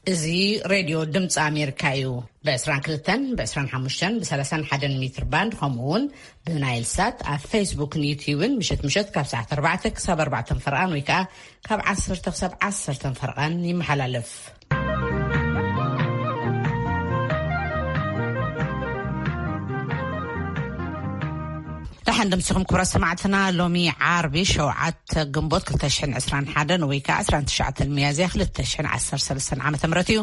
እዚ ሬድዮ ድምፂ ኣሜሪካ እዩ። ብ22፣ ብ25፣ ብ31 ሜትር ባንድ፣ ከምኡ እውን ብናይል ሳት ኣብ ፌስቡክን ዩትዩብን ምሸት ምሸት ካብ ሰዓት ኣርባዕተ ክሳብ ኣርባዕተ ፈርቓን ወይ ከዓ ካብ ዓሰርተ ክሳብ ዓሰርተ ፈርቓን ይመሓላለፍ። ደሓን ደምሲኹም ክቡራት ሰማዕትና። ሎሚ ዓርቢ ሸውዓተ ግንቦት ክልተ ሽሕን ዕስራን ሓደን ወይ ከዓ ዕስራን ትሽዓተን ሚያዝያ ክልተ ሽሕን ዓሰርተ ሰለስተን ዓመተ ምህረት እዩ።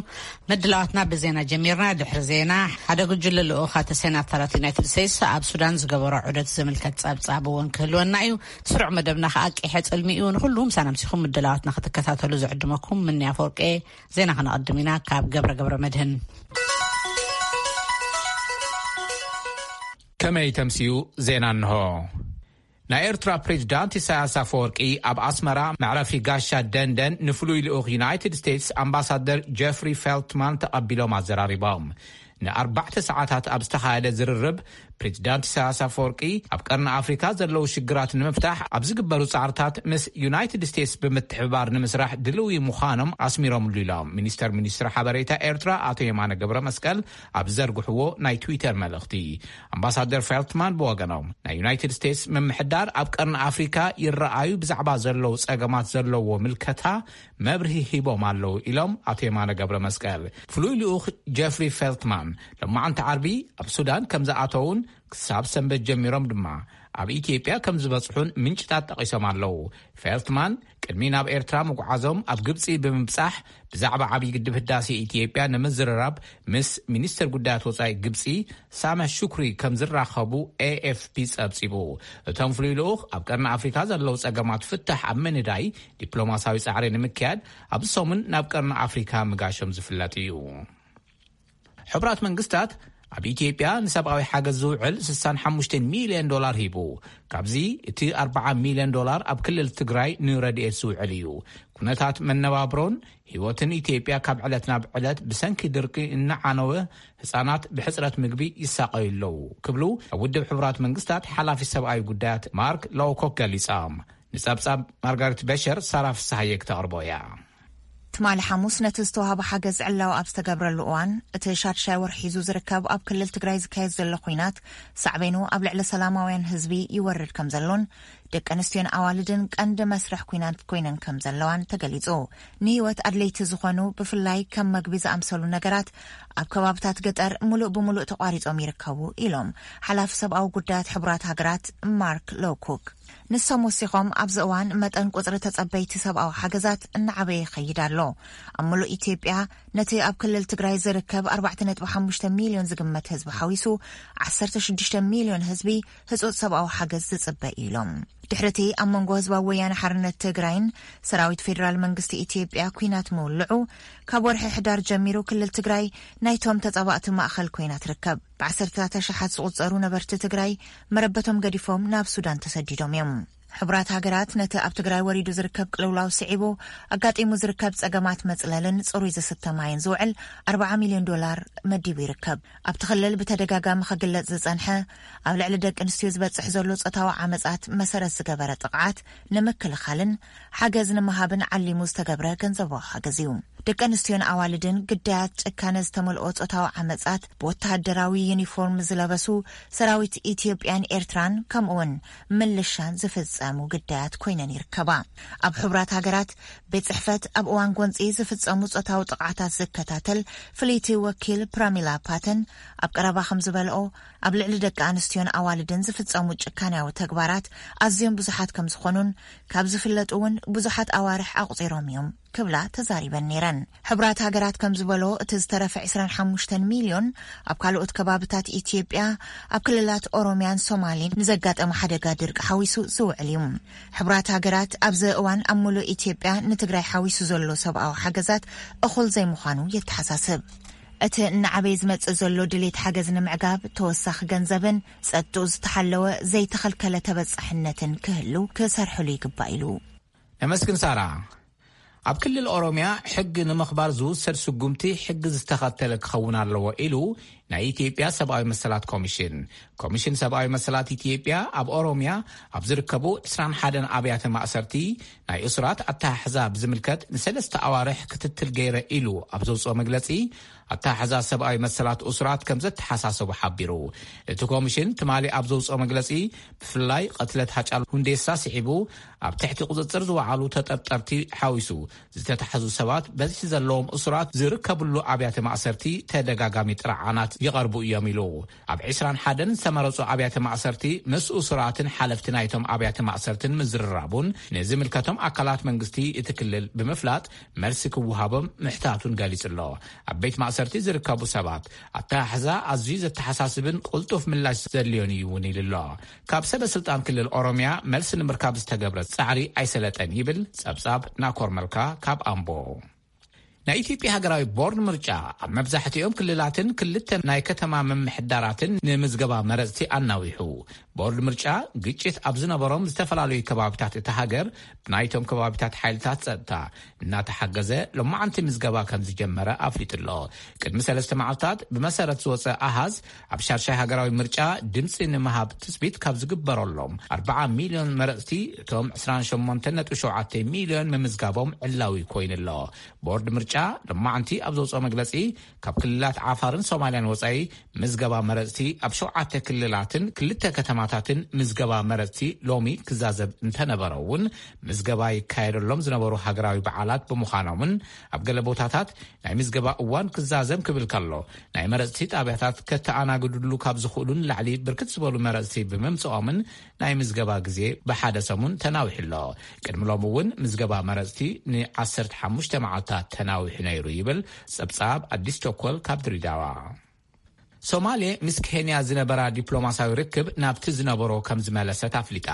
ምድላዋትና ብዜና ጀሚርና። ድሕሪ ዜና ሓደ ጉጅለ ልኡኻተ ሴናተራት ዩናይትድ ስቴትስ ኣብ ሱዳን ዝገበሮ ዑደት ዝምልከት ጸብጻብ እውን ክህልወና እዩ። ስሩዕ መደብና ከዓ ቂሐ ጽልሚ እዩ። ንኹሉ ምሳና ምሲኹም ምድላዋትና ክትከታተሉ ዝዕድመኩም ምንያ ፈወርቄ። ዜና ክነቐድም ኢና ካብ ገብረ ገብረ መድህን። ከመይ ተምስዩ ዜና እንሆ። ናይ ኤርትራ ፕሬዚዳንት ኢሳያስ ኣፈወርቂ ኣብ ኣስመራ መዕረፊ ጋሻ ደንደን ንፍሉይ ልኡኽ ዩናይትድ ስቴትስ ኣምባሳደር ጀፍሪ ፌልትማን ተቐቢሎም ኣዘራሪቦም። ንኣርባዕተ ሰዓታት ኣብ ዝተኻየደ ዝርርብ ፕሬዚዳንት ኢሳያስ ኣፈወርቂ ኣብ ቀርኒ ኣፍሪካ ዘለዉ ሽግራት ንምፍታሕ ኣብ ዝግበሩ ጻዕርታት ምስ ዩናይትድ ስቴትስ ብምትሕብባር ንምስራሕ ድልዊ ምዃኖም ኣስሚሮምሉ ኢሎም ሚኒስተር ሚኒስትሪ ሓበሬታ ኤርትራ ኣቶ የማነ ገብረ መስቀል ኣብ ዘርግሕዎ ናይ ትዊተር መልእኽቲ። ኣምባሳደር ፌልትማን ብወገኖም ናይ ዩናይትድ ስቴትስ ምምሕዳር ኣብ ቀርኒ ኣፍሪካ ይረኣዩ ብዛዕባ ዘለዉ ጸገማት ዘለዎ ምልከታ መብርሂ ሂቦም ኣለዉ ኢሎም ኣቶ የማነ ገብረ መስቀል። ፍሉይ ልኡኽ ጀፍሪ ፌልትማን ሎማዓንቲ ዓርቢ ኣብ ሱዳን ከም ዝኣተዉን ክሳብ ሰንበት ጀሚሮም ድማ ኣብ ኢትዮጵያ ከም ዝበጽሑን ምንጭታት ጠቒሶም ኣለዉ። ፌልትማን ቅድሚ ናብ ኤርትራ ምጉዓዞም ኣብ ግብጺ ብምብጻሕ ብዛዕባ ዓብዪ ግድብ ህዳሴ ኢትዮጵያ ንምዝርራብ ምስ ሚኒስትር ጉዳያት ወጻኢ ግብጺ ሳመ ሹክሪ ከም ዝራኸቡ ኤኤፍፒ ጸብጺቡ። እቶም ፍሉይ ልኡኽ ኣብ ቀርኒ ኣፍሪካ ዘለዉ ጸገማት ፍታሕ ኣብ ምንዳይ ዲፕሎማሲያዊ ጻዕሪ ንምክያድ ኣብዚ ሰሙን ናብ ቀርኒ ኣፍሪካ ምጋሾም ዝፍለጥ እዩ። ሕቡራት መንግስታት ኣብ ኢትዮጵያ ንሰብኣዊ ሓገዝ ዝውዕል ስሳን ሓሙሽተን ሚልዮን ዶላር ሂቡ። ካብዚ እቲ ኣርባዓ ሚልዮን ዶላር ኣብ ክልል ትግራይ ንረድኤት ዝውዕል እዩ። ኩነታት መነባብሮን ህይወትን ኢትዮጵያ ካብ ዕለት ናብ ዕለት ብሰንኪ ድርቂ እናዓነወ፣ ህጻናት ብሕጽረት ምግቢ ይሳቐዩ ኣለዉ ክብሉ ኣብ ውድብ ሕቡራት መንግስታት ሓላፊ ሰብኣዊ ጉዳያት ማርክ ሎውኮክ ገሊጾም። ንጸብጻብ ማርጋሬት በሸር ሳራ ፍስሃየ ክተቕርቦ እያ። ትማሊ ሓሙስ ነቲ ዝተዋህበ ሓገዝ ዕላዊ ኣብ ዝተገብረሉ እዋን፣ እቲ ሻድሻይ ወርሒ ሒዙ ዝርከብ ኣብ ክልል ትግራይ ዝካየድ ዘሎ ኲናት ሳዕቤኑ ኣብ ልዕሊ ሰላማውያን ህዝቢ ይወርድ ከም ዘሎን ደቂ ኣንስትዮን ኣዋልድን ቀንዲ መስርሕ ኲናት ኮይነን ከም ዘለዋን ተገሊጹ። ንህይወት ኣድለይቲ ዝኾኑ ብፍላይ ከም መግቢ ዝኣምሰሉ ነገራት ኣብ ከባብታት ገጠር ምሉእ ብምሉእ ተቋሪጾም ይርከቡ ኢሎም ሓላፊ ሰብኣዊ ጉዳያት ሕቡራት ሃገራት ማርክ ሎውኮክ። ንሶም ወሲኾም ኣብዚ እዋን መጠን ቁጽሪ ተጸበይቲ ሰብኣዊ ሓገዛት እናዓበየ ይኸይድ ኣሎ። ኣብ ምሉእ ኢትዮጵያ ነቲ ኣብ ክልል ትግራይ ዝርከብ ኣርባዕተ ነጥቢ ሓሙሽተ ሚልዮን ዝግመት ህዝቢ ሓዊሱ ዓሰርተ ሽዱሽተ ሚልዮን ህዝቢ ህጹጽ ሰብኣዊ ሓገዝ ዝጽበ እዩ ኢሎም። ድሕሪ እቲ ኣብ መንጎ ህዝባዊ ወያነ ሓርነት ትግራይን ሰራዊት ፌዴራል መንግስቲ ኢትዮጵያ ኲናት ምውልዑ፣ ካብ ወርሒ ሕዳር ጀሚሩ ክልል ትግራይ ናይቶም ተጻባእቲ ማእኸል ኮይና ትርከብ። ብዓሰርተታት ኣሽሓት ዝቑጸሩ ነበርቲ ትግራይ መረበቶም ገዲፎም ናብ ሱዳን ተሰዲዶም እዮም። ሕቡራት ሃገራት ነቲ ኣብ ትግራይ ወሪዱ ዝርከብ ቅልውላው ስዒቡ ኣጋጢሙ ዝርከብ ጸገማት መጽለልን ጽሩይ ዝስተ ማይን ዝውዕል ኣርባዓ ሚልዮን ዶላር መዲቡ ይርከብ። ኣብቲ ክልል ብተደጋጋሚ ክግለጽ ዝጸንሐ ኣብ ልዕሊ ደቂ ኣንስትዮ ዝበጽሕ ዘሎ ጾታዊ ዓመጻት መሰረት ዝገበረ ጥቕዓት ንምክልኻልን ሓገዝ ንምሃብን ዓሊሙ ዝተገብረ ገንዘባዊ ሓገዝ እዩ። ደቂ ኣንስትዮን ኣዋልድን ግዳያት ጭካነ ዝተመልኦ ጾታዊ ዓመጻት ብወተሃደራዊ ዩኒፎርም ዝለበሱ ሰራዊት ኢትዮጵያን ኤርትራን ከምኡውን ምልሻን ዝፍጸሙ ግዳያት ኮይነን ይርከባ። ኣብ ሕቡራት ሃገራት ቤት ጽሕፈት ኣብ እዋን ጎንጺ ዝፍጸሙ ጾታዊ ጥቕዓታት ዝከታተል ፍልይቲ ወኪል ፕራሚላ ፓተን ኣብ ቀረባ ከም ዝበልኦ፣ ኣብ ልዕሊ ደቂ ኣንስትዮን ኣዋልድን ዝፍጸሙ ጭካንያዊ ተግባራት ኣዝዮም ብዙሓት ከም ዝኾኑን ካብ ዝፍለጡ እውን ብዙሓት ኣዋርሕ ኣቑጺሮም እዮም ክብላ ተዛሪበን ነይረን። ሕቡራት ሃገራት ከም ዝበሎ፣ እቲ ዝተረፈ ዕስራን ሓሙሽተን ሚልዮን ኣብ ካልኦት ከባብታት ኢትዮጵያ፣ ኣብ ክልላት ኦሮሚያን ሶማሌን ንዘጋጠመ ሓደጋ ድርቂ ሓዊሱ ዝውዕል እዩ። ሕቡራት ሃገራት ኣብዚ እዋን ኣብ ሙሉእ ኢትዮጵያ ንትግራይ ሓዊሱ ዘሎ ሰብኣዊ ሓገዛት እኹል ዘይምዃኑ የተሓሳስብ። እቲ እናዓበየ ዝመጽእ ዘሎ ድሌት ሓገዝ ንምዕጋብ ተወሳኺ ገንዘብን ጸጥትኡ ዝተሓለወ ዘይተኸልከለ ተበጻሕነትን ክህሉ ክሰርሕሉ ይግባእ ኢሉ። ነመስግን ሳራ። ኣብ ክልል ኦሮሚያ ሕጊ ንምኽባር ዝውሰድ ስጉምቲ ሕጊ ዝተኸተለ ክኸውን ኣለዎ ኢሉ ናይ ኢትዮጵያ ሰብኣዊ መሰላት ኮሚሽን። ኮሚሽን ሰብኣዊ መሰላት ኢትዮጵያ ኣብ ኦሮሚያ ኣብ ዝርከቡ ዕስራን ሓደን ኣብያተ ማእሰርቲ ናይ እሱራት ኣተሓሕዛ ብዝምልከት ንሰለስተ ኣዋርሕ ክትትል ገይረ ኢሉ ኣብ ዘውፅኦ መግለፂ፣ ኣተሓሕዛ ሰብኣዊ መሰላት እሱራት ከም ዘተሓሳሰቡ ሓቢሩ። እቲ ኮሚሽን ትማሊ ኣብ ዘውፅኦ መግለፂ፣ ብፍላይ ቅትለት ሃጫሉ ሁንዴሳ ስዒቡ ኣብ ትሕቲ ቁፅፅር ዝወዓሉ ተጠርጠርቲ ሓዊሱ ዝተታሕዙ ሰባት በዝሒ ዘለዎም እሱራት ዝርከብሉ ኣብያተ ማእሰርቲ ተደጋጋሚ ጥርዓናት ይቐርቡ እዮም ኢሉ። ኣብ ዕስራን ሓደን ዝተመረፁ ኣብያተ ማእሰርቲ ምስ እሱራትን ሓለፍቲ ናይቶም ኣብያተ ማእሰርትን ምዝርራቡን ንዝምልከቶም ኣካላት መንግስቲ እቲ ክልል ብምፍላጥ መልሲ ክወሃቦም ምሕታቱን ገሊጹ ኣሎ። ኣብ ቤት ማእሰርቲ ዝርከቡ ሰባት ኣተሓሕዛ ኣዝዩ ዘተሓሳስብን ቅልጡፍ ምላሽ ዘድልዮን እዩ እውን ኢሉ ኣሎ። ካብ ሰበ ስልጣን ክልል ኦሮሚያ መልሲ ንምርካብ ዝተገብረ ጻዕሪ ኣይሰለጠን ይብል ጸብጻብ ናኮር መልካ ካብ ኣምቦ። ናይ ኢትዮጵያ ሃገራዊ ቦርድ ምርጫ ኣብ መብዛሕትኦም ክልላትን ክልተ ናይ ከተማ ምምሕዳራትን ንምዝገባ መረጽቲ ኣናዊሑ። ቦርድ ምርጫ ግጭት ኣብ ዝነበሮም ዝተፈላለዩ ከባቢታት እታ ሃገር ብናይቶም ከባቢታት ሓይልታት ጸጥታ እናተሓገዘ ሎማዓንቲ ምዝገባ ከም ዝጀመረ ኣፍሊጡ ኣሎ። ቅድሚ ሰለስተ መዓልታት ብመሰረት ዝወጸ ኣሃዝ ኣብ ሻድሻይ ሃገራዊ ምርጫ ድምፂ ንምሃብ ትጽቢት ካብ ዝግበረሎም ኣርባዓ ሚልዮን መረጽቲ እቶም ዕስራን ሸሞንተን ነጥቢ ሸውዓተ ሚልዮን ምምዝጋቦም ዕላዊ ኮይኑ ኣሎ። ቦርድ ምርጫ ሎማዓንቲ ኣብ ዘውፅኦ መግለፂ ካብ ክልላት ዓፋርን ሶማልያን ወፃኢ ምዝገባ መረፅቲ ኣብ ሸውዓተ ክልላትን ክልተ ከተማታትን ምዝገባ መረፅቲ ሎሚ ክዛዘብ እንተነበረ እውን ምዝገባ ይካየደሎም ዝነበሩ ሃገራዊ በዓላት ብምዃኖምን ኣብ ገለ ቦታታት ናይ ምዝገባ እዋን ክዛዘም ክብል ከሎ ናይ መረፅቲ ጣብያታት ከተኣናግድሉ ካብ ዝኽእሉ ንላዕሊ ብርክት ዝበሉ መረፅቲ ብምምፅኦምን ናይ ምዝገባ ግዜ ብሓደ ሰሙን ተናዊሑ ኣሎ። ቅድሚ ሎሚ እውን ምዝገባ መረፅቲ ን15 መዓልታት ተናዊሑ ነይሩ ይብል ጸብጻብ ኣዲስ ቸኮል ካብ ድሬዳዋ። ሶማሌ ምስ ኬንያ ዝነበራ ዲፕሎማሲያዊ ርክብ ናብቲ ዝነበሮ ከም ዝመለሰት ኣፍሊጣ።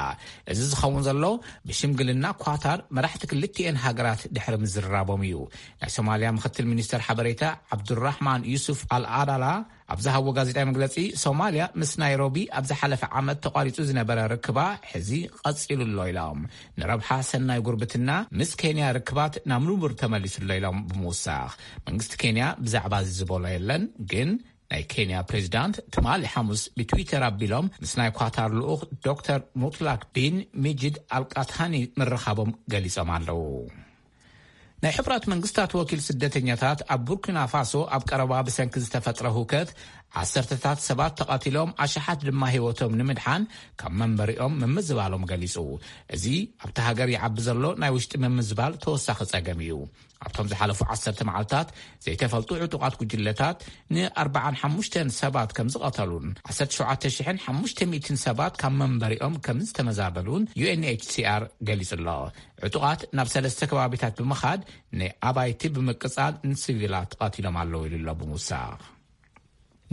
እዚ ዝኸውን ዘሎ ብሽምግልና ኳታር መራሕቲ ክልቲኤን ሃገራት ድሕሪ ምዝርራቦም እዩ። ናይ ሶማልያ ምክትል ሚኒስተር ሓበሬታ ዓብዱራሕማን ዩሱፍ ኣልኣዳላ ኣብ ዝሃቦ ጋዜጣዊ መግለጺ፣ ሶማልያ ምስ ናይሮቢ ኣብ ዝሓለፈ ዓመት ተቋሪጹ ዝነበረ ርክባ ሕዚ ቀጺሉ ኣሎ ኢሎም። ንረብሓ ሰናይ ጉርብትና ምስ ኬንያ ርክባት ናብ ንቡር ተመሊሱ ኣሎ ኢሎም ብምውሳኽ፣ መንግስቲ ኬንያ ብዛዕባ እዚ ዝበሎ የለን። ግን ናይ ኬንያ ፕሬዚዳንት ትማሊ ሓሙስ ብትዊተር ኣቢሎም ምስ ናይ ኳታር ልኡኽ ዶክተር ሙትላክ ቢን ሚጅድ ኣልቃታኒ ምርኻቦም ገሊጾም ኣለዉ። ናይ ሕቡራት መንግስታት ወኪል ስደተኛታት ኣብ ቡርኪና ፋሶ ኣብ ቀረባ ብሰንኪ ዝተፈጥረ ሁከት ዓሰርተታት ሰባት ተቐቲሎም ኣሽሓት ድማ ህይወቶም ንምድሓን ካብ መንበሪኦም ምምዝባሎም ገሊጹ። እዚ ኣብቲ ሃገር ይዓቢ ዘሎ ናይ ውሽጢ ምምዝባል ተወሳኺ ጸገም እዩ። ኣብቶም ዝሓለፉ ዓሰርተ መዓልታት ዘይተፈልጡ ዕጡቓት ጉጅለታት ን45 ሰባት ከም ዝቐተሉን ዓሰርተ ሸውዓተ ሽሕን ሓሙሽተ ሚእትን ሰባት ካብ መንበሪኦም ከም ዝተመዛበሉን ዩ ኤን ኤች ሲ ኣር ገሊጹ ኣሎ። ዕጡቓት ናብ ሰለስተ ከባቢታት ብምኻድ ንኣባይቲ ብምቅጻል ንሲቪላት ቀቲሎም ኣለዉ ኢሉ ኣሎ ብምውሳኽ።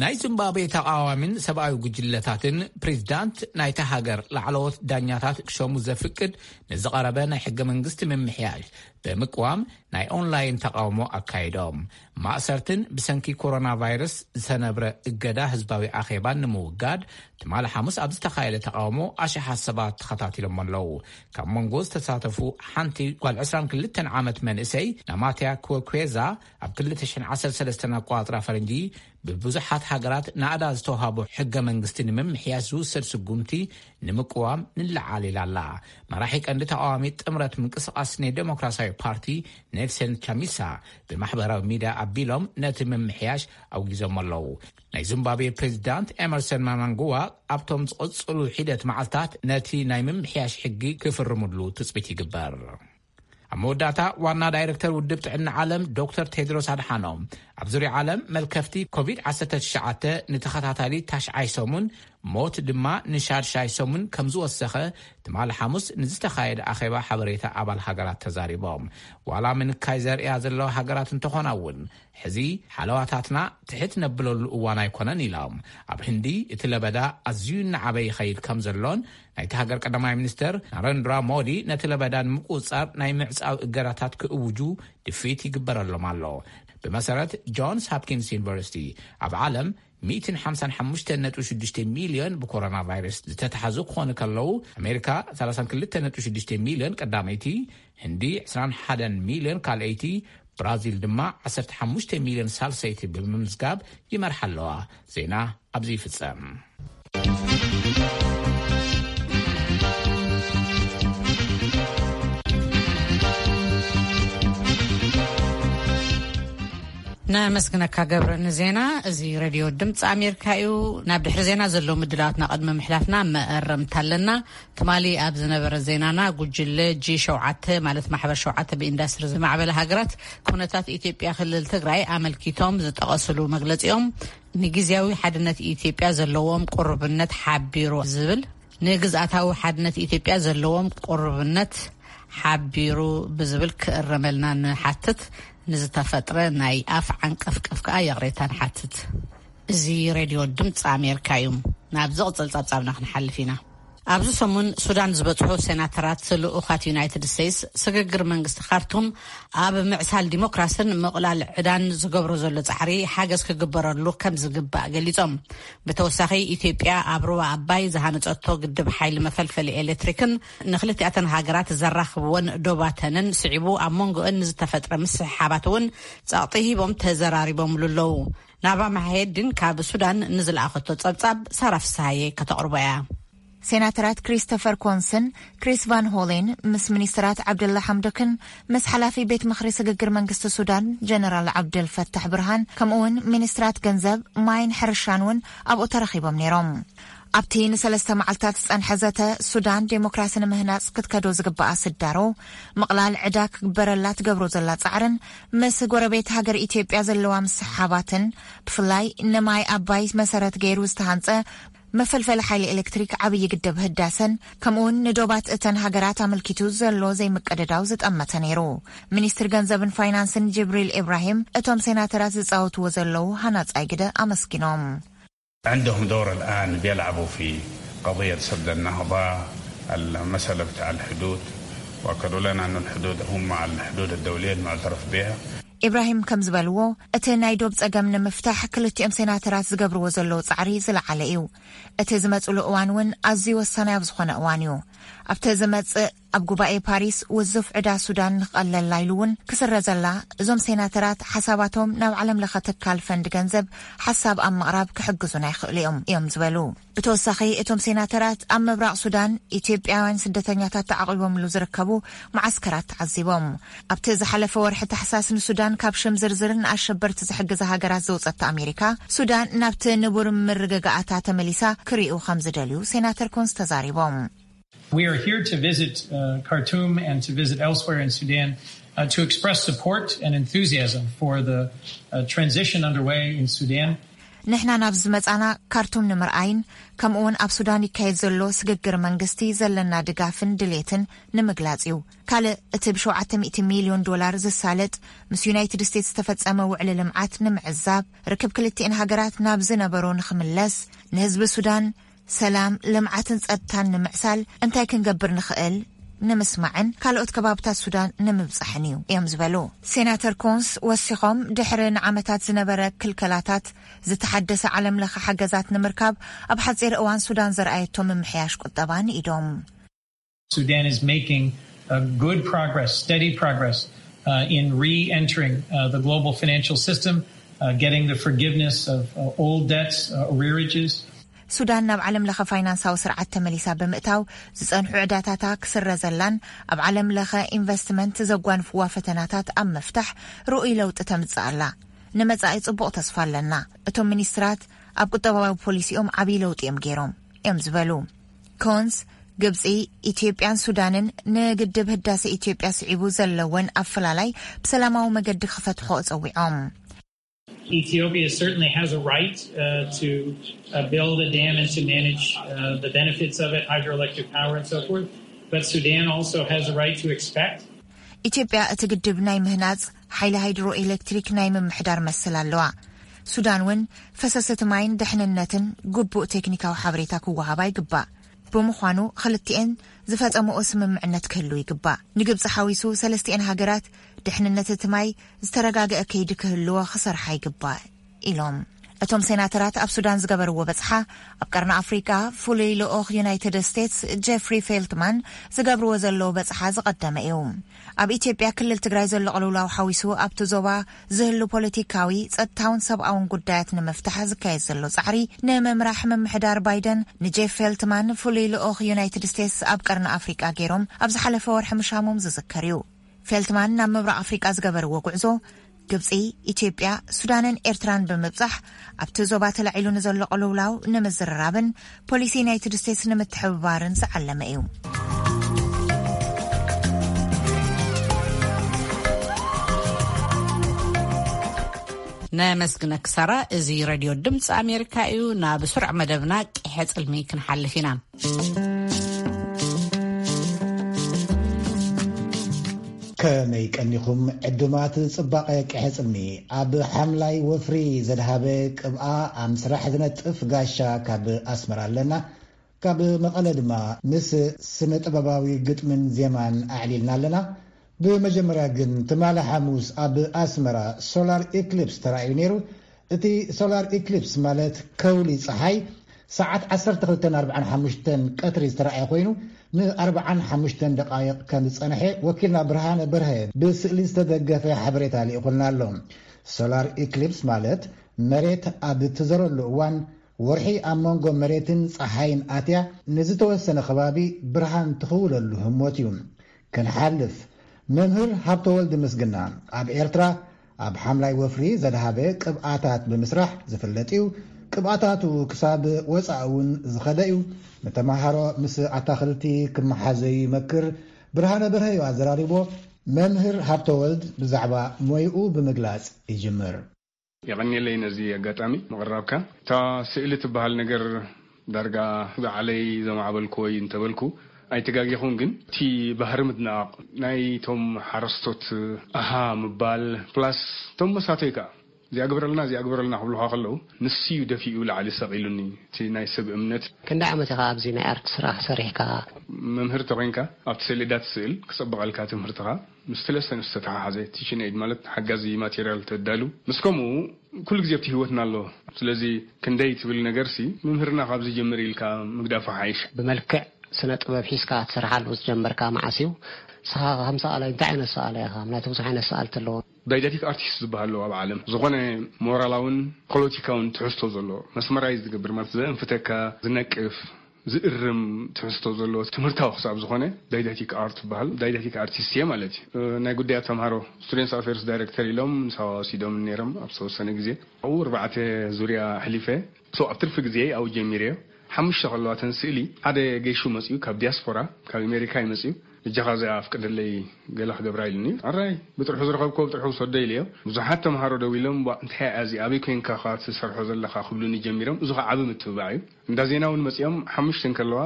ናይ ዚምባብዌ ተቃዋሚን ሰብኣዊ ጉጅለታትን ፕሬዚዳንት ናይታ ሃገር ላዕለዎት ዳኛታት ክሸሙ ዘፍቅድ ንዝቐረበ ናይ ሕገ መንግስቲ ምምሕያሽ ብምቅዋም ናይ ኦንላይን ተቃውሞ ኣካይዶም። ማእሰርትን ብሰንኪ ኮሮና ቫይረስ ዝተነብረ እገዳ ህዝባዊ ኣኼባን ንምውጋድ ትማሊ ሓሙስ ኣብ ዝተኻየደ ተቃውሞ ኣሽሓት ሰባት ተኸታቲሎም ኣለዉ። ካብ መንጎ ዝተሳተፉ ሓንቲ ጓል ዕስራን ክልተን ዓመት መንእሰይ ናማትያ ኮኩዌዛ ኣብ ክልተ ሽሕን ዓሰርተ ሰለስተን ኣቆጻጽራ ፈረንጂ ብብዙሓት ሃገራት ናእዳ ዝተውሃቦ ሕገ መንግስቲ ንምምሕያሽ ዝውሰድ ስጉምቲ ንምቅዋም ንለዓል ኢላ ኣላ። መራሒ ቀንዲ ተቃዋሚ ጥምረት ምንቅስቃስ ናይ ዴሞክራሲያዊ ፓርቲ ኔልሰን ቻሚሳ ብማሕበራዊ ሚድያ ኣቢሎም ነቲ ምምሕያሽ ኣውጊዞም ኣለዉ። ናይ ዚምባብዌ ፕሬዚዳንት ኤመርሰን ማናንጉዋ ኣብቶም ዝቕጽሉ ሒደት መዓልታት ነቲ ናይ ምምሕያሽ ሕጊ ክፍርምሉ ትጽቢት ይግበር። ኣብ መወዳእታ ዋና ዳይሬክተር ውድብ ጥዕና ዓለም ዶክተር ቴድሮስ ኣድሓኖም ኣብ ዙርያ ዓለም መልከፍቲ ኮቪድ ዓሰርተ ትሽዓተ ንተኸታታሊ ታሽዓይ ሰሙን ሞት ድማ ንሻድሻይ ሰሙን ከም ዝወሰኸ ትማሊ ሓሙስ ንዝተኻየደ ኣኼባ ሓበሬታ ኣባል ሃገራት ተዛሪቦም። ዋላ ምንካይ ዘርእያ ዘለዋ ሃገራት እንተኾና እውን ሕዚ ሓለዋታትና ትሕት ነብለሉ እዋን ኣይኮነን ኢሎም። ኣብ ህንዲ እቲ ለበዳ ኣዝዩ እናዓበየ ይኸይድ ከም ዘሎን ናይቲ ሃገር ቀዳማይ ሚኒስተር ናረንድራ ሞዲ ነቲ ለበዳ ንምቁጽጻር ናይ ምዕጻው እገዳታት ክእውጁ ድፍኢት ይግበረሎም ኣሎ። ብመሰረት ጆንስ ሃፕኪንስ ዩኒቨርሲቲ ኣብ ዓለም ሚእትን ሓምሳን ሓሙሽተን ነጥቢ ሽዱሽተ ሚልዮን ብኮሮና ቫይረስ ዝተታሕዙ ክኾኑ ከለዉ ኣሜሪካ ሰላሳን ክልተን ነጥቢ ሽዱሽተ ሚልዮን ቀዳመይቲ፣ ህንዲ ዕስራን ሓደን ሚልዮን ካልኣይቲ፣ ብራዚል ድማ ዓሰርተ ሓሙሽተ ሚልዮን ሳልሰይቲ ብምምዝጋብ ይመርሓ ኣለዋ። ዜና ኣብዚ ይፍጸም። ነመስግነካ ገብረ ንዜና። እዚ ሬድዮ ድምፂ ኣሜሪካ እዩ። ናብ ድሕሪ ዜና ዘለዉ ምድላዋትና ቅድሚ ምሕላፍና መእረምታ ኣለና። ትማሊ ኣብ ዝነበረ ዜናና፣ ጉጅለ ጂ ሸውዓተ፣ ማለት ማሕበር ሸውዓተ ብኢንዳስትሪ ዝማዕበለ ሃገራት፣ ኩነታት ኢትዮጵያ ክልል ትግራይ ኣመልኪቶም ዝጠቐስሉ መግለፂኦም፣ ንግዝያዊ ሓድነት ኢትዮጵያ ዘለዎም ቅሩብነት ሓቢሩ ዝብል፣ ንግዝኣታዊ ሓድነት ኢትዮጵያ ዘለዎም ቅሩብነት ሓቢሩ ብዝብል ክእረመልና ንሓትት። ንዝተፈጥረ ናይ ኣፍ ዓንቀፍቀፍ ከኣ ይቕሬታ ንሓትት። እዚ ሬድዮ ድምፂ ኣሜሪካ እዩ። ናብ ዝቕጽል ጸብጻብና ክንሓልፍ ኢና። ኣብዚ ሰሙን ሱዳን ዝበጽሑ ሴናተራት ልኡኻት ዩናይትድ ስቴትስ፣ ስግግር መንግስቲ ካርቱም ኣብ ምዕሳል ዲሞክራስን ምቕላል ዕዳን ዝገብሮ ዘሎ ጻዕሪ ሓገዝ ክግበረሉ ከም ዝግባእ ገሊጾም። ብተወሳኺ፣ ኢትዮጵያ ኣብ ሩባ ኣባይ ዝሃነጸቶ ግድብ ሓይሊ መፈልፈሊ ኤሌክትሪክን ንክልቲኣተን ሃገራት ዘራኽብወን ዶባተንን ስዒቡ፣ ኣብ መንጎአን ንዝተፈጥረ ምስሕሓባት እውን ጸቕጢ ሂቦም ተዘራሪቦምሉ ኣለዉ። ናባ መሓየድን ካብ ሱዳን ንዝለኣኸቶ ጸብጻብ ሳራ ፍስሃየ ከተቕርቦ እያ። ሴናተራት ክሪስቶፈር ኮንስን ክሪስ ቫን ሆሌን ምስ ሚኒስትራት ዓብደላ ሓምዶክን ምስ ሓላፊ ቤት ምኽሪ ስግግር መንግስቲ ሱዳን ጀነራል ዓብደል ፈታሕ ብርሃን፣ ከምኡውን ሚኒስትራት ገንዘብ፣ ማይን ሕርሻን እውን ኣብኡ ተረኺቦም ነይሮም። ኣብቲ ንሰለስተ መዓልታት ዝጸንሐ ዘተ፣ ሱዳን ዴሞክራሲ ንምህናጽ ክትከዶ ዝግባኣ ስዳሮ፣ ምቕላል ዕዳ ክግበረላ ትገብሮ ዘላ ጻዕርን ምስ ጎረቤት ሃገር ኢትዮጵያ ዘለዋ ምስሓባትን፣ ብፍላይ ንማይ ኣባይ መሰረት ገይሩ ዝተሃንጸ መፈልፈሊ ሓይሊ ኤሌክትሪክ ዓብዪ ግድብ ህዳሰን፣ ከምኡውን ንዶባት እተን ሃገራት ኣመልኪቱ ዘሎ ዘይምቅድዳው ዝጠመተ ነይሩ። ሚኒስትር ገንዘብን ፋይናንስን ጅብሪል ኢብራሂም፣ እቶም ሴናተራት ዝጻወትዎ ዘለዉ ሃናጻይ ግደ ኣመስጊኖም። عندهم دور الآن بيلعبوا في قضية سد النهضة، المسألة بتاع الحدود، وأكدوا لنا أن الحدود هم على الحدود الدولية المعترف بها. ኢብራሂም ከም ዝበልዎ፣ እቲ ናይ ዶብ ጸገም ንምፍታሕ ክልቲኦም ሴናተራት ዝገብርዎ ዘለዉ ጻዕሪ ዝለዓለ እዩ። እቲ ዝመጽሉ እዋን እውን ኣዝዩ ወሳናይ ኣብ ዝኾነ እዋን እዩ። ኣብቲ ዝመጽእ ኣብ ጉባኤ ፓሪስ ውዙፍ ዕዳ ሱዳን ንኽቐለላ ኢሉ እውን ክስረዘላ፣ እዞም ሴናተራት ሓሳባቶም ናብ ዓለም ለኸ ትካል ፈንድ ገንዘብ ሓሳብ ኣብ ምቕራብ ክሕግዙና ይኽእሉ እዮም፣ እዮም ዝበሉ። ብተወሳኺ፣ እቶም ሴናተራት ኣብ ምብራቕ ሱዳን ኢትዮጵያውያን ስደተኛታት ተዓቒቦምሉ ዝርከቡ መዓስከራት ተዓዚቦም። ኣብቲ ዝሓለፈ ወርሒ ታሕሳስ ንሱዳን ካብ ሽም ዝርዝር ንኣሸበርቲ ዝሕግዛ ሃገራት ዘውጸት ኣሜሪካ፣ ሱዳን ናብቲ ንቡር ምርግጋኣታ ተመሊሳ ክሪኡ ከም ዝደልዩ ሴናተር ኮንስ ተዛሪቦም። We are here to visit uh, Khartoum and to visit elsewhere in Sudan uh, to express support and enthusiasm for the uh, transition underway in Sudan. ንሕና ናብ ዝመጻና ካርቱም ንምርኣይን ከምኡውን ኣብ ሱዳን ይካየድ ዘሎ ስግግር መንግስቲ ዘለና ድጋፍን ድሌትን ንምግላጽ እዩ። ካልእ፣ እቲ ብሸውዓተ ሚእቲ ሚልዮን ዶላር ዝሳለጥ ምስ ዩናይትድ ስቴትስ ዝተፈጸመ ውዕሊ ልምዓት ንምዕዛብ፣ ርክብ ክልቲኤን ሃገራት ናብ ዝነበሮ ንኽምለስ፣ ንህዝቢ ሱዳን ሰላም፣ ልምዓትን ጸጥታን ንምዕሳል እንታይ ክንገብር ንኽእል ንምስማዕን ካልኦት ከባብታት ሱዳን ንምብጻሕን እዩ እዮም ዝበሉ። ሴናተር ኮንስ ወሲኾም፣ ድሕሪ ንዓመታት ዝነበረ ክልከላታት ዝተሓደሰ ዓለም ለኸ ሓገዛት ንምርካብ ኣብ ሓጺር እዋን ሱዳን ዘርኣየቶ ምምሕያሽ ቁጠባ ንኢዶም። Sudan is making uh, good progress, steady progress uh, in re-entering uh, the global financial system, uh, getting the forgiveness of uh, old debts, uh, arrearages. ሱዳን ናብ ዓለም ለኸ ፋይናንሳዊ ስርዓት ተመሊሳ ብምእታው፣ ዝጸንሑ ዕዳታታ ክስረዘላን ኣብ ዓለም ለኸ ኢንቨስትመንት ዘጓንፍዋ ፈተናታት ኣብ ምፍታሕ ርኡይ ለውጢ ተምጽእ ኣላ። ንመጻኢ ጽቡቕ ተስፋ ኣለና። እቶም ሚኒስትራት ኣብ ቁጠባዊ ፖሊሲኦም ዓብዪ ለውጢ እዮም ገይሮም እዮም ዝበሉ። ኮንስ፣ ግብጺ፣ ኢትዮጵያን ሱዳንን ንግድብ ህዳሴ ኢትዮጵያ ስዒቡ ዘለወን ኣፈላላይ ብሰላማዊ መገዲ ክፈትሖ ጸዊዖም። Ethiopia certainly has a right uh, to uh, build a dam and to manage uh, the benefits of it, hydroelectric power and so forth. But Sudan also has a right to expect ኢትዮጵያ እቲ ግድብ ናይ ምህናጽ፣ ሓይሊ ሃይድሮ ኤሌክትሪክ ናይ ምምሕዳር መሰል ኣለዋ። ሱዳን እውን ፈሰስ እቲ ማይን ድሕንነትን ግቡእ ቴክኒካዊ ሓበሬታ ክወሃባ ይግባእ። ብምዃኑ፣ ክልቲኤን ዝፈጸምኦ ስምምዕነት ክህሉ ይግባእ። ንግብጺ ሓዊሱ፣ ሰለስቲኤን ሃገራት ድሕንነት እቲ ማይ ዝተረጋገአ ከይዲ ክህልዎ ክሰርሓ ይግባእ ኢሎም። እቶም ሴናተራት ኣብ ሱዳን ዝገበርዎ በጽሓ፣ ኣብ ቀርኒ ኣፍሪቃ ፍሉይ ልኡኽ ዩናይትድ ስቴትስ ጀፍሪ ፌልትማን ዝገብርዎ ዘለዉ በጽሓ ዝቐደመ እዩ። ኣብ ኢትዮጵያ ክልል ትግራይ ዘሎ ቅልውላው ሓዊሱ ኣብቲ ዞባ ዝህሉ ፖለቲካዊ፣ ጸጥታውን ሰብኣውን ጉዳያት ንምፍታሕ ዝካየድ ዘሎ ጻዕሪ ንምምራሕ ምምሕዳር ባይደን ንጄፍ ፌልትማን ፍሉይ ልኡኽ ዩናይትድ ስቴትስ ኣብ ቀርኒ ኣፍሪቃ ገይሮም ኣብ ዝሓለፈ ወርሒ ምሻሞም ዝዝከር እዩ። ፌልትማን ናብ ምብራቕ ኣፍሪቃ ዝገበርዎ ጉዕዞ ግብጺ፣ ኢትዮጵያ፣ ሱዳንን ኤርትራን ብምብጻሕ ኣብቲ ዞባ ተላዒሉ ንዘሎ ቅልውላው ንምዝርራብን ፖሊሲ ዩናይትድ ስቴትስ ንምትሕብባርን ዝዓለመ እዩ። ነመስግነኪ ሳራ። እዚ ሬድዮ ድምፂ ኣሜሪካ እዩ። ናብ ስሩዕ መደብና ቂሐ ፅልሚ ክንሓልፍ ኢና። ከመይ ቀኒኹም ዕዱማት ጽባቐ ቂሐ ጽልሚ? ኣብ ሓምላይ ወፍሪ ዘድሃበ ቅብኣ ኣብ ምስራሕ ዝነጥፍ ጋሻ ካብ ኣስመራ ኣለና። ካብ መቐለ ድማ ምስ ስነ ጥበባዊ ግጥምን ዜማን ኣዕሊልና ኣለና። ብመጀመርያ ግን ትማሊ ሓሙስ ኣብ ኣስመራ ሶላር ኢክሊፕስ ተራእዩ ነይሩ። እቲ ሶላር ኢክሊፕስ ማለት ከውሊ ጸሓይ ሰዓት ዓሰርተ ክልተን ኣርብዓን ሓሙሽተን ቀትሪ ዝተራእየ ኮይኑ፣ ንኣርብዓን ሓሙሽተን ደቓይቕ ከም ዝጸንሐ ወኪልና ብርሃነ በርሀ ብስእሊ ዝተደገፈ ሓበሬታ ልኢኹልና ኣሎ። ሶላር ኢክሊፕስ ማለት መሬት ኣብ እትዘረሉ እዋን፣ ወርሒ ኣብ መንጎ መሬትን ጸሓይን ኣትያ ንዝተወሰነ ከባቢ ብርሃን ትኽውለሉ ህሞት እዩ። ክንሓልፍ፣ መምህር ሃብተወልድ ምስግና ኣብ ኤርትራ ኣብ ሓምላይ ወፍሪ ዘድሃበ ቅብኣታት ብምስራሕ ዝፍለጥ እዩ። ቅብኣታቱ ክሳብ ወጻኢ እውን ዝኸደ እዩ። ንተማሃሮ ምስ ኣታኽልቲ ክመሓዘዩ ይመክር። ብርሃነ በርሀ እዩ ኣዘራሪቦ። መምህር ሃብተወልድ ብዛዕባ ሞይኡ ብምግላጽ ይጅምር። የቐንየለይ ነዚ ኣጋጣሚ ምቕራብካ። እታ ስእሊ ትበሃል ነገር ዳርጋ ዝዓለይ ዘማዕበልኩዎ እዩ እንተበልኩ ኣይተጋጌኹን፣ ግን እቲ ባህሪ ምድናቕ ናይቶም ሓረስቶት ኣሃ ምባል፣ ፕላስ እቶም መሳተይ ከኣ እዚኣ ግበረልና፣ እዚኣ ግበረልና ክብሉኻ ከለዉ፣ ንሱ እዩ ደፊኡ ላዕሊ ሰቒሉኒ፣ እቲ ናይ ሰብ እምነት። ክንደይ ዓመት ኢኻ ኣብዚ ናይ ኣርት ስራሕ ሰሪሕካ? መምህር ተኾይንካ፣ ኣብቲ ሰሌዳ ትስእል፣ ክጸብቐልካ ትምህርትኻ፣ ምስቲ ለሰን ዝተተሓሓዘ፣ ቲችን ኤድ ማለት ሓጋዚ ማቴርያል ተዳሉ፣ ምስ ከምኡ ኩሉ ግዜ ኣብቲ ህይወትና ኣሎ። ስለዚ ክንደይ ትብል ነገርሲ፣ መምህርና ካብ ዝጅምር ኢልካ ምግዳፉ ሓይሽ። ብመልክዕ ስነ ጥበብ ሒዝካ ትሰርሓሉ ዝጀመርካ መዓስ እዩ? ንስኻ ከም ሰኣላይ እንታይ ዓይነት ሰኣላይ ኢኻ? ምክንያቱ ብዙሕ ዓይነት ሰኣልቲ ኣለዎ። ዳይዳክቲክ ኣርቲስት ዝበሃል ኣለዎ ኣብ ዓለም። ዝኾነ ሞራላውን ፖለቲካውን ትሕዝቶ ዘለዎ፣ መስመራይዝ ዝገብር ማለት ዘእንፍተካ፣ ዝነቅፍ፣ ዝእርም ትሕዝቶ ዘለዎ ትምህርታዊ ክሳብ ዝኾነ ዳይዳክቲክ ኣርት ይበሃል። ዳይዳክቲክ ኣርቲስት እየ ማለት እዩ። እ፣ ናይ ጉዳያት ተምሃሮ፣ ስቱደንትስ ኣፌርስ ዳይሬክተር ኢሎም ንሳዋ ወሲዶም ነይሮም ኣብ ዝተወሰነ ግዜ። ኣብኡ ኣርባዕተ ዙርያ ኣሕሊፈ። ሶ ኣብ ትርፊ ግዜ ኣብኡ ጀሚረዮ። ሓሙሽተ ከለዋ እተን ስእሊ፣ ሓደ ገይሹ መጺኡ ካብ ዲያስፖራ፣ ካብ ኣሜሪካ እዩ መጺኡ። "እጃኻ እዚኣ ኣፍቅደለይ፣ ገለ ክገብራ" ኢሉኒ። ኣራይ፣ ብጥርሑ ዝረኸብክዎ ብጥርሑ ውሰዶ ኢለዮ። ብዙሓት ተምሃሮ ደው ኢሎም፣ "ቧእ፣ እንታይ እያ እዚ? ኣበይ ኮይንካ ኸኣ ትሰርሖ ዘለኻ?" ክብሉኒ ጀሚሮም። እዚ ኸኣ ዓቢ ምትብባዕ እዩ። እንዳ ዜና እውን መጺኦም፣ ሓሙሽተ እንከለዋ፣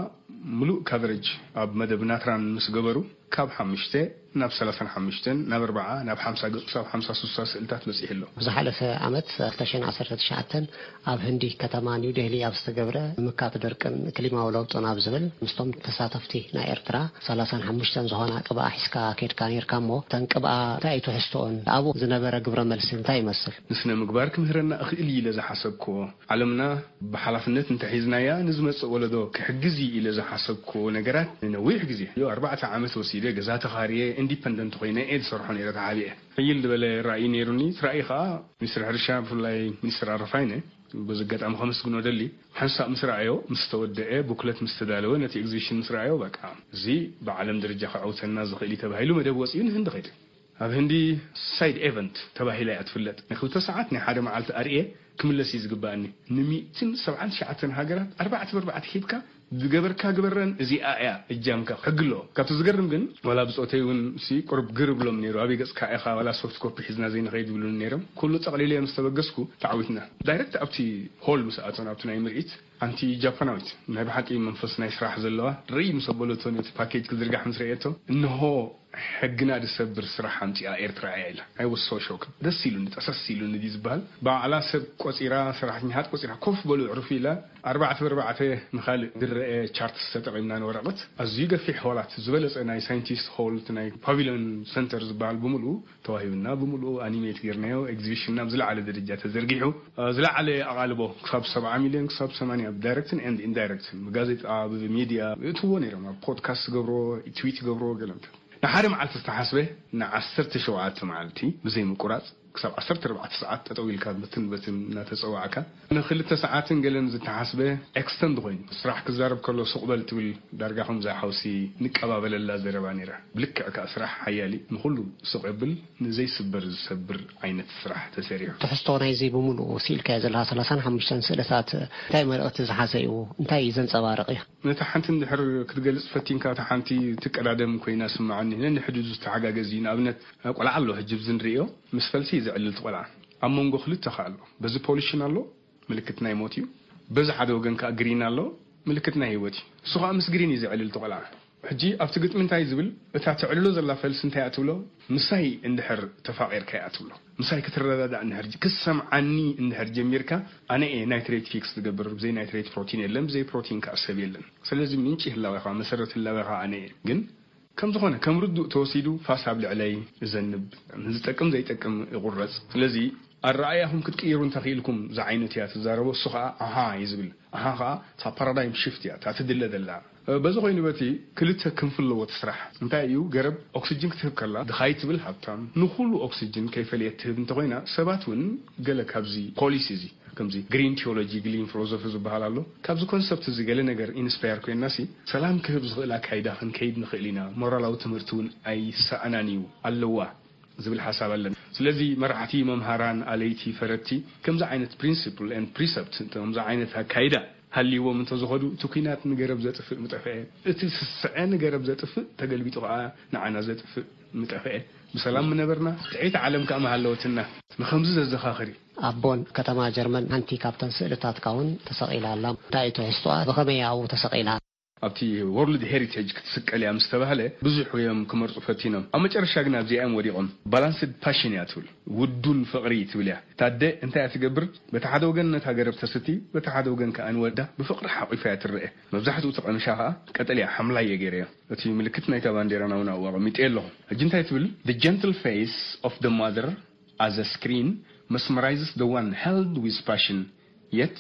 ምሉእ ካቨሬጅ ኣብ መደብ ናትራን ምስ ገበሩ፣ ካብ ሓሙሽተ ናብ ሰላሳን ሓሙሽተን፣ ናብ ኣርብዓ፣ ናብ ሓምሳ ገጽ፣ ክሳብ ሓምሳ ሱሳ ስእልታት በጺሑ ኣሎ። ዝሓለፈ ዓመት ክልተ ሽሕን ዓሰርተ ትሽዓተን ኣብ ህንዲ ከተማ ኒው ዴህሊ ኣብ ዝተገብረ ምምካት ደርቅን ክሊማዊ ለውጥን ኣብ ዝብል ምስቶም ተሳተፍቲ ናይ ኤርትራ ሰላሳን ሓሙሽተን ዝኾና ቅብኣ ሒዝካ ከይድካ ነይርካ እሞ፣ እተን ቅብኣ እንታይ እዩ ትሕዝቶኦን? ኣብኡ ዝነበረ ግብረ መልሲ እንታይ ይመስል? ንስነ ምግባር ክምህረና እኽእል እዩ ኢለ ዝሓሰብክዎ፣ ዓለምና ብሓላፍነት እንተሒዝናያ ንዝመጽእ ወለዶ ክሕግዝ እዩ ኢለ ዝሓሰብክዎ ነገራት ንነዊሕ ግዜ፣ ኣርባዕተ ዓመት ወሲደ ገዛ ተኻርየ ኢንዲፐንደንት ኮይነ እየ ዝሰርሖ ነይረ ተሓቢኤ። ሕይል ዝበለ ራእይ ነይሩኒ። እቲ ራእይ ከኣ ሚኒስትር ሕርሻ፣ ብፍላይ ሚኒስትር ኣረፋይነ በዚ ኣጋጣሚ ከመስግኖ ደሊ። ሓንሳእ ምስ ረኣዮ፣ ምስ ተወደአ፣ ቡክለት ምስ ተዳለወ፣ ነቲ ኤግዚቢሽን ምስ ረኣዮ፣ በቃ፣ እዚ ብዓለም ደረጃ ከዐውተና ዝኽእል እዩ ተባሂሉ መደብ ወጺኡ ንህንዲ ከይደ። ኣብ ህንዲ ሳይድ ኤቨንት ተባሂላ እያ ትፍለጥ። ናይ ክልተ ሰዓት ናይ ሓደ መዓልቲ ኣርእየ ክምለስ እዩ ዝግባኣኒ። ንሚእትን ሰብዓን ትሽዓተን ሃገራት ኣርባዕተ ብኣርባዕተ ሂብካ ዝገበርካ ግበረን፣ እዚኣ እያ እጃምካ፣ ሕጊ ኣለዎ። ካብቲ ዝገርም ግን፣ ዋላ ብጾተይ እውን ሲ ቁሩብ ግር ብሎም ነይሩ። "ኣበይ ገጽካ ኢኻ? ዋላ ሶፍት ኮፒ ሒዝና ዘይንኸይድ?" ይብሉኒ ነይሮም። ኩሉ ጠቕሊለ ምስ ተበገስኩ፣ ተዓዊትና። ዳይረክት ኣብቲ ሆል ምስ ኣተን፣ ኣብቲ ናይ ምርኢት፣ ሓንቲ ጃፓናዊት ናይ ብሓቂ መንፈስ ናይ ስራሕ ዘለዋ ርእይ ምስ ኣበለቶ፣ ነቲ ፓኬጅ ክዝርጋሕ ምስ ረእየቶ፣ "እንሆ ሕግና ዝሰብር ስራሕ ኣምጺኣ ኤርትራ እያ" ኢላ። I was so shocked። ደስ ኢሉኒ፣ ጠሰስ ኢሉኒ ድዩ ዝበሃል። ባዕላ ሰብ ቆጺራ፣ ሰራሕተኛታት ቆጺራ፣ "ኮፍ በሉ፣ ዕርፉ" ኢላ፣ ኣርባዕተ ብኣርባዕተ ንኻልእ ዝረአ ቻርትስ ተጠቒምና ንወረቐት። ኣዝዩ ገፊሕ ሆላት፣ ዝበለጸ ናይ ሳይንቲስት ሆል፣ እቲ ናይ ፓቪልዮን ሰንተር ዝበሃል ብምልኡ ተዋሂቡና፣ ብምልኡ ኣኒሜት ጌርናዮ። ኤግዚቢሽንና ብዝለዓለ ደረጃ ተዘርጊሑ፣ እ፣ ዝለዓለ ኣቓልቦ፣ ክሳብ ሰብዓ ሚልዮን ክሳብ ሰማንያ፣ ብዳይረክትን ኤንድ ኢንዳይረክትን፣ ብጋዜጣ፣ ብሚድያ፣ ይእትዎ ነይሮም። ኣብ ፖድካስት ገብሮ፣ ትዊት ገብሮ፣ ገለ። ንሓደ መዓልቲ ዝተሓስበ ንዓሰርተ ሸውዓተ መዓልቲ ብዘይ ምቁራጽ ክሳብ ዓሰርተ ኣርባዕተ ሰዓት ጠጠው ኢልካ ብትን በትን እናተጸዋዕካ ንክልተ ሰዓትን ገለን ዝተሓስበ ኤክስተንድ ኮይኑ፣ ስራሕ ክዛረብ ከሎ ሱቕ በል ትብል፣ ዳርጋ ከምዛ ሓውሲ ንቀባበለላ ዘረባ ነይራ። ብልክዕ ከኣ ስራሕ ሓያል እዩ፣ ንኹሉ ሱቕ የብል፣ ንዘይስበር ዝሰብር ዓይነት ስራሕ ተሰሪሑ። ትሕዝቶ ናይዚ ብምሉኡ ስኢልካዮ ዘለኻ ሰላሳን ሓሙሽተን ስእልታት እንታይ መልእኽቲ ዝሓዘ እዩ? እንታይ እዩ ዘንጸባርቕ እዩ? ነታ ሓንቲ እንድሕር ክትገልጽ ፈቲንካ፣ እታ ሓንቲ ትቀዳደም ኮይና ስምዓኒ። ነንሕድሕዱ ዝተሓጋገዝ እዩ። ንኣብነት፣ ቆልዓ ኣሎ፣ ሕጂ ብዚ ንርእዮ፣ ምስ ፈልሲ እዩ ዘዕልል እቲ ቆልዓ። ኣብ መንጎ ክልተ ከኣ ኣሎ። በዚ ፖሊሽን ኣሎ፣ ምልክት ናይ ሞት እዩ። በዚ ሓደ ወገን ከኣ ግሪን ኣሎ፣ ምልክት ናይ ህይወት እዩ። እሱ ከኣ ምስ ግሪን እዩ ዘዕልል እቲ ቆልዓ። ሕጂ ኣብቲ ግጥሚ እንታይ ዝብል፣ እታ ተዕልሎ ዘላ ፈልሲ እንታይ እያ ትብሎ? ምሳይ እንድሕር ተፋቒርካ እያ ትብሎ። ምሳይ ክትረዳዳእ እንድሕር ጅ-፣ ክትሰምዓኒ እንድሕር ጀሚርካ፣ ኣነ እየ ናይትሬት ፊክስ ዝገብር። ብዘይ ናይትሬት ፕሮቲን የለን፣ ብዘይ ፕሮቲን ከኣ ሰብ የለን። ስለዚ ምንጪ ህላዌኻ፣ መሰረት ህላዌኻ ኣነ እየ። ግን ከም ዝኾነ፣ ከም ርዱእ ተወሲዱ ፋስ ኣብ ልዕለይ እዘንብ፣ ንዝጠቅም ዘይጠቅም ይቑረጽ። ስለዚ ኣረኣእያኹም ክትቅይሩ እንተኽኢልኩም ዝዓይነቱ እያ ትዛረቦ። እሱ ኸኣ ኣሃ እዩ ዝብል። ኣሃ ኸኣ እታ ፓራዳይም ሽፍት እያ፣ እታ ትድለ ዘላ። በዚ ኮይኑ በቲ ክልተ ክንፊ ኣለዎ እቲ ስራሕ። እንታይ እዩ? ገረብ ኦክስጅን ክትህብ ከላ ድኻ እዩ ትብል ሃብታም፣ ንኹሉ ኦክስጅን ከይፈለየት ትህብ እንተኾይና፣ ሰባት እውን ገለ ካብዚ ፖሊሲ እዚ፣ ከምዚ ግሪን ቲዮሎጂ፣ ግሪን ፊሎሶፊ ዝበሃል ኣሎ። ካብዚ ኮንሰፕት እዚ ገለ ነገር ኢንስፓየር ኮይንና ሲ፣ ሰላም ክህብ ዝኽእል ኣካይዳ ክንከይድ ንኽእል ኢና፣ ሞራላዊ ትምህርቲ እውን ኣይሰኣናን እዩ፣ ኣለዋ ዝብል ሓሳብ ኣለና። ስለዚ መራሕቲ፣ መምሃራን፣ ኣለይቲ፣ ፈረድቲ ከምዚ ዓይነት ፕሪንሲፕል ኤንድ ፕሪሰፕት፣ ከምዚ ዓይነት ኣካይዳ ሃልይዎም እንተዝኸዱ፣ እቲ ኲናት ንገረብ ዘጥፍእ ምጠፍአ፣ እቲ ስስዐ ንገረብ ዘጥፍእ፣ ተገልቢጡ ኸዓ ንዓና ዘጥፍእ ምጠፍአ፣ ብሰላም ምነበርና፣ ጥዕይቲ ዓለም ከኣ ምሃለወትና። ንኸምዚ ዘዘኻኽር እዩ። ኣብ ቦን ከተማ ጀርመን ሓንቲ ካብተን ስእልታትካ እውን ተሰቒላ ኣላ። እንታይ እዩ ትሕዝቶኣ? ብኸመይ ኣብኡ ተሰቒላ? ኣብቲ ወርልድ ሄሪቴጅ ክትስቀል እያ ምስ ተባህለ፣ ብዙሕ እዮም ክመርጹ ፈቲኖም። ኣብ መጨረሻ ግን ኣብዚኣ እዮም ወዲቖም። ባላንስድ ፓሽን እያ ትብል። ውዱን ፍቕሪ ትብል እያ። እታ ኣደ እንታይ እያ ትገብር? በቲ ሓደ ወገን ነታ ገረብ ተስቲ፣ በቲ ሓደ ወገን ከኣ ንወዳ ብፍቕሪ ሓቑፋ እያ ትረአ። መብዛሕትኡ እቲ ቀምሻ ከኣ ቀጠልያ፣ ሓምላይ እየ ገይረዮ። እቲ ምልክት ናይታ ባንዴራና እውን ኣብኡ ኣቐሚጠዮ ኣለኹ። ሕጂ እንታይ ትብል? The gentle face of the mother as a screen mesmerizes the one held with passion, yet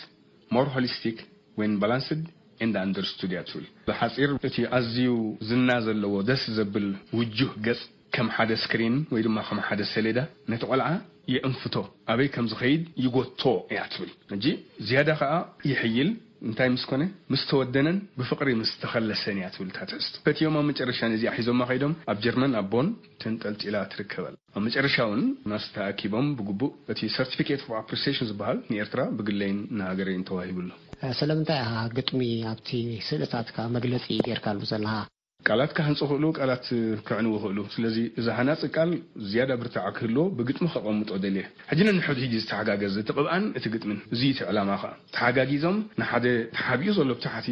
more holistic when balanced and understood እያ ትብል። ብሓጺር፣ እቲ ኣዝዩ ዝና ዘለዎ፣ ደስ ዘብል ውጁህ ገጽ ከም ሓደ ስክሪን ወይ ድማ ከም ሓደ ሰሌዳ ነቲ ቆልዓ የእንፍቶ፣ ኣበይ ከም ዝኸይድ ይጎቶ እያ ትብል። ሕጂ ዝያዳ ከኣ ይሕይል። እንታይ ምስ ኮነ? ምስ ተወደነን ብፍቕሪ ምስ ተኸለሰን እያ ትብል እታ ትሕዝቶ። ፈትዮም ኣብ መጨረሻ ነዚኣ ሒዞማ ከይዶም ኣብ ጀርመን ኣብ ቦን ተንጠልጢላ ትርከበላ። ኣብ መጨረሻ እውን ማስ ተኣኪቦም ብግቡእ እቲ ሰርቲፊኬት ኦፍ ኣፕሪሲዬሽን ዝበሃል ንኤርትራ ብግለይን ንሃገረይን ተዋሂቡ ኣሎ። ስለምንታይ ኢኻ ግጥሚ ኣብቲ ስእልታትካ መግለጺ ጌርካሉ ዘለኻ? ቃላት ክሃንጹ ይኽእሉ፣ ቃላት ከዕንዉ ይኽእሉ። ስለዚ እዚ ሃናጺ ቃል ዝያዳ ብርታዐ ክህልዎ ብግጥሚ ከቐምጦ ደልየ። ሕጂ ነንሕድሕዱ ዝተሓጋገዝ፣ እቲ ቅብኣን እቲ ግጥምን፣ እዚ እዩ እቲ ዕላማ ኸኣ። ተሓጋጊዞም ንሓደ ተሓቢኡ ዘሎ ብታሕቲ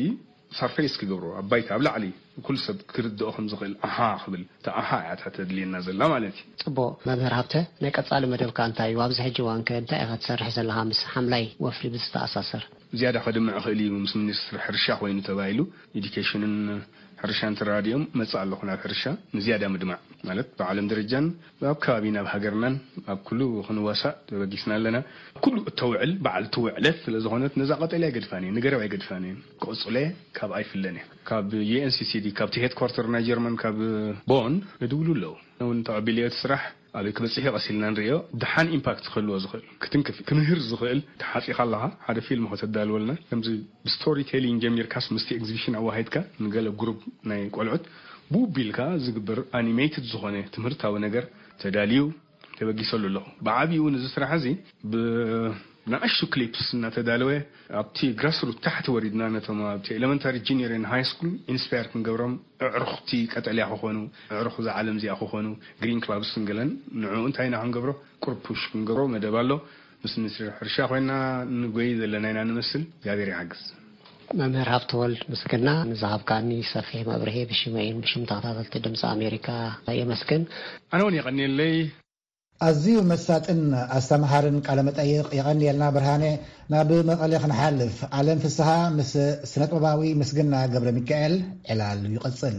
ሰርፌስ ክገብሮ፣ ኣብ ባይታ፣ ኣብ ላዕሊ፣ ኩሉ ሰብ ክርድኦ ከም ዝኽእል፣ ኣሃ ክብል፣ እታ ኣሃ እያ እታ ተድልየና ዘላ ማለት እዩ። ጽቡቕ። መምህር ሃብተ፣ ናይ ቀጻሊ መደብካ እንታይ እዩ? ኣብዚ ሕጂ እዋን ከ እንታይ ኢኻ ትሰርሕ ዘለኻ ምስ ሓምላይ ወፍሪ ብዝተኣሳሰር? ዝያዳ ከድምዕ ይኽእል እዩ፣ ምስ ሚኒስትሪ ሕርሻ ኮይኑ ተባሂሉ፣ ኤዱኬሽንን ሕርሻን ተራዲኦም መጽእ ኣለኹ ናብ ሕርሻ ንዝያዳ ምድማዕ። ማለት ብዓለም ደረጃን ኣብ ከባቢና፣ ኣብ ሃገርናን ኣብ ኩሉ ክንዋሳእ ተበጊስና ኣለና። ኩሉ እተውዕል በዓልቲ ውዕለት ስለ ዝኾነት፣ ነዛ ቀጠልያ ኣይገድፋን እየ፣ ንገረብ ኣይገድፋን እየ። ክቕጽሎ እየ፣ ካብ ኣይፍለን እየ። ካብ ዩ ኤን ሲ ሲ ዲ፣ ካብቲ ሄድኳርተር ናይ ጀርመን፣ ካብ ቦን ይድውሉ ኣለዉ። እውን ተቐቢለዮ እቲ ስራሕ ኣበይ ክበጽሕ እዩ ቀስ ኢልና ንርእዮ። ደሓን ኢምፓክት ክህልዎ ዝኽእል፣ ክትንክፍ፣ ክምህር ዝኽእል፣ ተሓጺኻ ኣለኻ ሓደ ፊልም ከተዳልወልና፣ ከምዚ ብስቶሪ ቴሊንግ ጀሚርካስ ምስቲ ኤግዚቢሽን ኣዋሂድካ ንገለ ግሩፕ ናይ ቆልዑት ብውቢ ኢልካ ዝግበር ኣኒሜትድ ዝኾነ ትምህርታዊ ነገር ተዳልዩ ተበጊሰሉ ኣለኹ። ብዓቢኡ ንዚ ስራሕ እዚ ብንኣሽቱ ክሊፕስ እናተዳለወ ኣብቲ ግራስሩት ታሕቲ ወሪድና ነቶም ኣብቲ ኤሌመንታሪ፣ ጁኒየርን ሃይ ስኩል ኢንስፓየር ክንገብሮም፣ ኣዕሩኽቲ ቀጠልያ ክኾኑ፣ ኣዕሩኽ እዛ ዓለም እዚኣ ክኾኑ፣ ግሪን ክላብስን ገለን ንዕኡ እንታይ ኢና ክንገብሮ? ቁሩብ ፑሽ ክንገብሮ መደብ ኣሎ። ምስ ሚኒስትሪ ሕርሻ ኮይና ንጎይ ዘለና ኢና ንመስል። እግዚኣብሔር ይሓግዝ። መምህር ሃብተወልድ ምስግና ንዝሃብካኒ ሰፊሕ መብርሂ ብሽመይን ብሽም ተኸታተልቲ ድምፂ ኣሜሪካ የመስግን። ኣነ እውን የቐንየለይ። ኣዝዩ መሳጥን ኣስተምሃርን ቃለ መጠይቕ። የቐንየልና ብርሃነ። ናብ መቐለ ክንሓልፍ፣ ኣለም ፍስሃ ምስ ስነጥበባዊ ምስግና ገብረ ሚካኤል ዕላል ይቕጽል።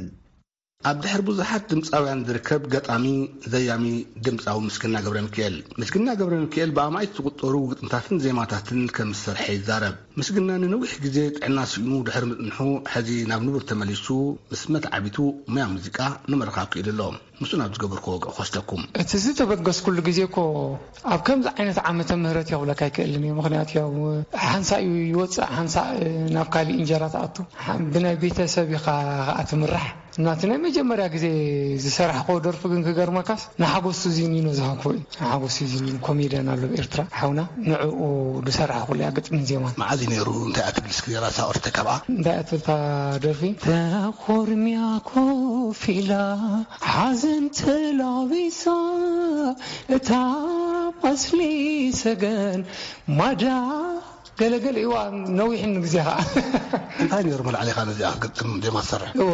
ኣብ ድሕር ብዙሓት ድምጻውያን ዝርከብ ገጣሚ፣ ዘያሚ፣ ድምጻዊ ምስግና ገብረ ሚካኤል። ምስግና ገብረ ሚካኤል ብኣማኢት ዝቑጸሩ ግጥምታትን ዜማታትን ከም ዝሰርሐ ይዛረብ። ምስግና ንነዊሕ ግዜ ጥዕና ስኢኑ ድሕሪ ምጽንሑ፣ ሕዚ ናብ ንቡር ተመሊሱ ምስ መትዓቢቱ ሙያ ሙዚቃ ንምርኻብ ክኢሉ ኣሎ። ምስኡ ናብ ዝገበርክዎ ወግዒ ክወስደኩም። እቲ ዝተበገስኩሉ ግዜ እኮ ኣብ ከምዚ ዓይነት ዓመተ ምህረት እየ ክብለካ ኣይክእልን እየ። ምኽንያቱ ያው ሓንሳእ እዩ ይወፅእ፣ ሓንሳእ ናብ ካሊእ እንጀራ ትኣቱ። ሓ-፣ ብናይ ቤተሰብ ኢኻ ኸኣ ትምራሕ። እና እቲ ናይ መጀመርያ ግዜ ዝሰራሕክዎ ደርፊ ግን ክገርመካስ ንሓጎስ ሱዚኒኖ ዝሃብክዎ እዩ። ንሓጎስ ሱዚኒኖ ኮሜድያን ኣሎ ኣብ ኤርትራ ሓውና፣ ንዕኡ ዝሰራሕኩሉ እያ ግጥምን ዜማን። መዓዝ እዩ ነይሩ? እንታይ እያ ትብል እስኪ ራሳ ኦርተ ካብኣ? እንታይ እያ ትብል እታ ደርፊ? ተኾርምያ ኮፍ ኢላ ሓዘን ተላቢሳ እታ ኣስሊ ሰገን ማዳ ገለገለ እዋ ነዊሕን ግዜ ኸዓ። እንታይ ነይሩ መልዓሊኻ ነዚኣ ክትግጥም ዜማ ትሰርሕ? እወ፣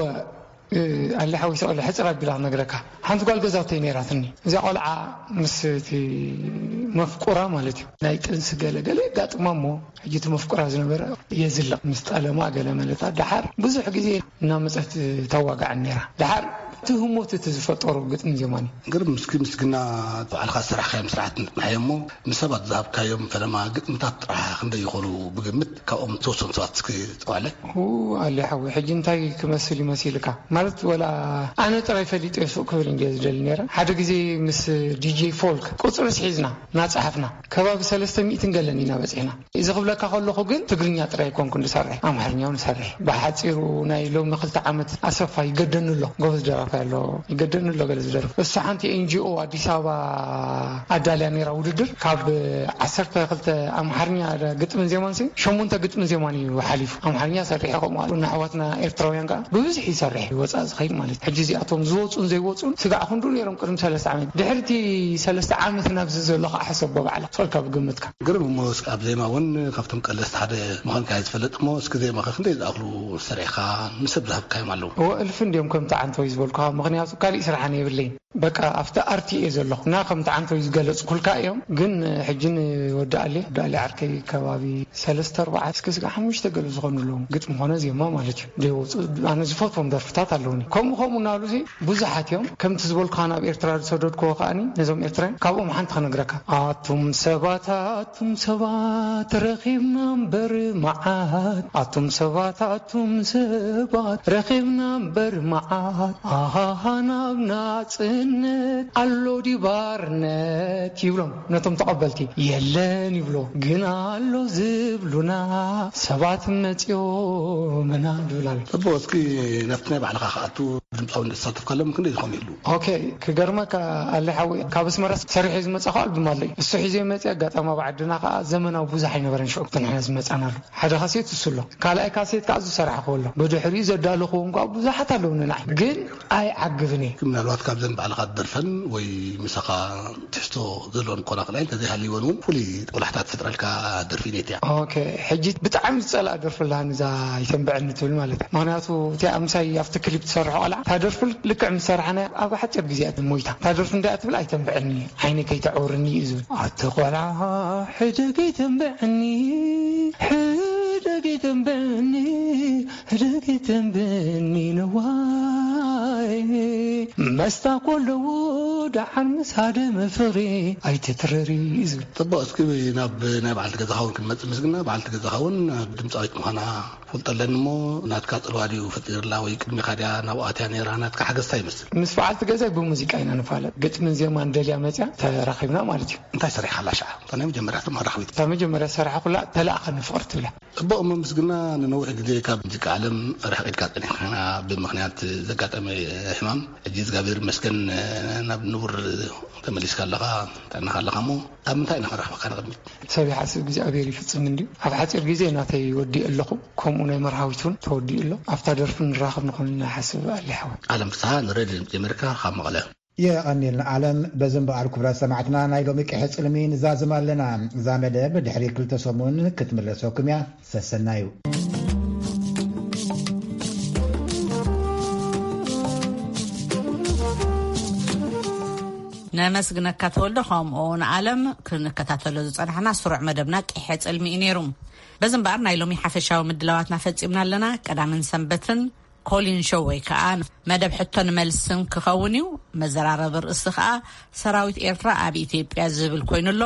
እ፣ ኣሊ ሓዊሰ ቆልዓ ሕጽር ኣቢላ ክነግረካ። ሓንቲ ጓል ገዛውተይ ነይራትኒ። እዚኣ ቆልዓ ምስ እቲ መፍቁራ ማለት እዩ። ናይ ጥንሲ ገለገለ የጋጥማ እሞ፣ ሕጂ እቲ መፍቁራ ዝነበረ የዝልቕ ምስ ጠለማ ገለ መለታ። ደሓር ብዙሕ ግዜ እናመጸት ተዋጋዕን ነይራ። ደሓር እቲ ህሞት እቲ ዝፈጠሩ ግጥሚ ዜማን እዩ። ግርም፣ እስኪ ምስግና ባዕልኻ ዝሰራሕካዮም ስራሕቲ ንጥምሓዮ እሞ፣ ንሰባት ዝሃብካዮም ፈለማ ግጥምታት ጥራሕ ክንደይ ይኾኑ ብግምት? ካብኦም ዝተወሰኑ ሰባት እስኪ ጥዋለ። ሁ፣ ኣሊ ሓዊ፣ ሕጂ እንታይ ክመስል ይመሲልካ? ማለት፣ ወላ ኣነ ጥራይ ፈሊጠ ሱቕ ክብል እንድየ ዝደሊ ነይረ። ሓደ ግዜ ምስ ዲጄ ፎልክ ቁጽርስ ሒዝና እናጸሓፍና፣ ከባቢ ሰለስተ ሚእትን ገለን ኢና በጺሕና። እዚ ክብለካ ከለኹ ግን ትግርኛ ጥራይ ኣይኮንኩን ዝሰርሕ፣ ኣምሓርኛ እውን እሰርሕ። ብሓጺሩ ናይ ሎሚ ክልተ ዓመት ኣሰፋ ይገደኒ ኣሎ፣ ጎበዝ ደራፋይ ኣሎ፣ ይገደኒ ኣሎ ገለ ዝደርፍ። እሱ ሓንቲ ኤን ጂ ኦ ኣዲስ ኣበባ ኣዳልያ ነይራ ውድድር። ካብ ዓሰርተ ክልተ ኣምሓርኛ ግጥምን ዜማን ሲ፣ ሸሞንተ ግጥምን ዜማን እዩ ሓሊፉ። ኣምሓርኛ ሰሪሐ ከምኡ ኣሎ። ንኣሕዋትና ኤርትራውያን ከኣ ብብዝሒ ይሰርሕ፣ ወጻኢ ዝኸይድ ማለት እዩ። ሕጂ እዚኣቶም ዝወጹን ዘይወጹን ስጋዕ ክንዱ ነይሮም ቅድሚ ሰለስተ ዓመት። ድሕሪ እቲ ሰለስተ ዓመት ናብዚ ዘሎ ከኣ ሕሰቦ ባዕላ። ጸልካ ብግምትካ። ግርም እሞ፣ እስኪ ኣብ ዜማ እውን ካብቶም ቀለስቲ ሓደ ምዃንካ እየ ዝፈልጥ እሞ፣ እስኪ ዜማኸ ክንደይ ዝኣኽሉ ሰሪሕኻ ንሰብ ዝሃብካዮም ኣለዉ? እወ፣ እልፊ እንድዮም ከምቲ ዓንተወይ ዝበልኩኻ፣ ምኽንያቱ ካሊእ ስራሕን የብለይን። በቃ ኣብቲ ኣርቲ እየ ዘለኹ እና ከምቲ ዓንተወይ ዝገለጽኩልካ እዮም። ግን ሕጂ ንወዲ ኣሌ፣ ወዲ ኣሌ ዓርከይ ከባቢ ሰለስተ ኣርባዕተ እስከ ስጋ ሓሙሽተ ገለ ዝኾኑ ኣለዉ። ግጥሚ ኾነ ዜማ ማለት እዩ። ዘይወፁ ኣነ ዝፈትዎም ደርፍታት ኣለዉኒ። ከምኡ ከምኡ እናበሉ ሲ ብዙሓት እዮም። ከምቲ ዝበልኩኻ ናብ ኤርትራ ዝሰደድክዎ ከኣኒ ነዞም ኤርትራውያን ካብኦም ሓንቲ ክነግረካ። ኣቱም ሰባት፣ ኣቱም ሰባት ረኺብና እምበር መዓት። ኣቱም ሰባት፣ ኣቱም ሰባት ረኺብና እምበር መዓት። ኣሃሃ ናብ ናጽነት ኣሎ ድዩ ባርነት ይብሎም ነቶም ተቐበልቲ። የለን ይብሎ ግን ኣሎ ዝብሉና ሰባት መጺኦምና ይብል ኣሎ። ጽቡቕ፣ እስኪ ናብቲ ናይ ባዕልኻ ክኣቱ ድምጻዊ ዝተሳተፍካሎም ክንደይ ዝኾኑ ይህሉ? ኦኬ፣ ክገርመካ ኣሊ ሓዊ፣ ካብ ኣስመራ ሰሪሐ ዝመጻኹ ኣልቡም ኣለይ። እሱ ሒዘ መጺ፣ ኣጋጣሚ ኣብ ዓድና ከኣ ዘመናዊ ብዙሕ ኣይነበረን ሽዑ፣ እቲ ንሕና ዝመጻናሉ። ሓደ ካሴት እሱ ኣሎ። ካልኣይ ካሴት ከኣ ዝሰራሕኹ ኣሎ። ብድሕሪኡ ዘዳለኹዎም ከኣ ብዙሓት ኣለዉ ንናይ። ግን ኣይዓግብን እየ። ምናልባት ካብዘን ባዕልኻ ትደርፈን ወይ ምሳኻ ትሕዝቶ ዘለወን ክኾና ክእላ፣ እንተዘይሃልይወን እውን ፍሉይ ቆላሕታ ትፈጥረልካ ደርፊ ኔት እያ። ኦኬ፣ ሕጂ ብጣዕሚ ዝጸልኣ ደርፊ ኣላ፣ ንዛ ይተንብዐኒ ትብል ማለት እዩ። ምኽንያቱ እቲኣ ምሳይ ኣብቲ ክሊፕ ትሰርሖ ቆልዓ፣ እታ ደርፊ ልክዕ ምስ ሰራሕናያ ኣብ ሓጺር ግዜ እያ ሞይታ። እታ ደርፊ እንታይ እያ ትብል? ኣይተንብዐኒ፣ ዓይነይ ከይተዕውርኒ እዩ ዝብል። ኣቲ ቆልዓ ሕደግ ይተንብዐኒ፣ ሕደግ ይተንብዐኒ፣ ሕደግ ይተንብዐኒ ነዋይ። መስታ ኮለዎ ደሓን ምስ ሃደመ ፍቕሪ ኣይትትረሪ እዩ ዝብል። ጽቡቕ፣ እስኪ ናብ ናይ በዓልቲ ገዛኻ እውን ክንመጽእ ምስግና። በዓልቲ ገዛኻ እውን ድምጻዊት ምዃና ፈልጠ ኣለኒ እሞ፣ ናትካ ጽልዋ ድዩ ፈጢርላ ወይ ቅድሚኻ ድያ ናብኡ ኣትያ ነይራ? ናትካ ሓገዝ እንታይ ይመስል? ምስ በዓልቲ ገዛይ ብሙዚቃ ኢና ንፋለጥ። ግጥምን ዜማን ደልያ መጽያ ተራኺብና ማለት እዩ። እንታይ ሰሪሕካላ ሽዓ? እታ ናይ መጀመርያ እቶም መራኽቢት። እታ መጀመርያ ዝሰራሕኩላ ተላእኸኒ ፍቕሪ ትብላ። ጽቡቕ እሞ ምስግና፣ ንነዊሕ ግዜ ካብ ሙዚቃ ዓለም ርሕቕ ኢልካ ጸኒሕካ፣ ብምኽንያት ዘጋጠመ ሕማም። ሕጂ እግዚኣብሔር ይመስገን ናብ ንቡር ተመሊስካ ኣለኻ፣ ጥዕናኻ ኣለኻ እሞ ኣብ ምንታይ ኢና ክንረኽበካ ንቕድሚት? ሰብ ይሓስብ እግዚኣብሔር ይፍጽም እንድዩ። ኣብ ሓጺር ግዜ ናተይ ወዲእ ኣለኹ፣ ከምኡ ናይ መርሃዊት እውን ተወዲኡ ኣሎ። ኣብታ ደርፊ ንራኸብ ንኾን ኢና ሓስብ ኣሊ ሓወይ። ዓለም ፍስሓ ንሬድዮ ድምጺ ኣሜሪካ ካብ መቐለ። የቐንየልና ዓለም። በዚ እምበኣር ክቡራት ሰማዕትና ናይ ሎሚ ቅሐ ጽልሚ ንዛዝም ኣለና። እዛ መደብ ድሕሪ ክልተ ሰሙን ክትምለሰኩም እያ። ሰሰናዩ። ነመስግነካ ተወልዶ፣ ከምኡ ንዓለም። ክንከታተሎ ዝጸናሕና ስሩዕ መደብና ቂሐ ጽልሚ እዩ ነይሩ። በዚ እምበኣር ናይ ሎሚ ሓፈሻዊ ምድላዋትና ፈጺምና ኣለና። ቀዳምን ሰንበትን ኮሊን ሾው ወይ ከዓ መደብ ሕቶን መልስን ክኸውን እዩ። መዘራረቢ ርእሲ ከዓ ሰራዊት ኤርትራ ኣብ ኢትዮጵያ ዝብል ኮይኑ ኣሎ።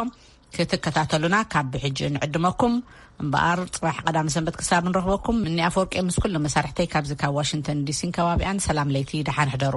ክትከታተሉና ካብ ብሕጂ ንዕድመኩም። እምበኣር ጽባሕ ቀዳም ሰንበት ክሳብ ንረኽበኩም፣ እኒ ኣፈወርቂ ምስ ኩሉ መሳርሕተይ ካብዚ ካብ ዋሽንግተን ዲሲን ከባቢኣን ሰላም ለይቲ፣ ደሓን ሕደሩ።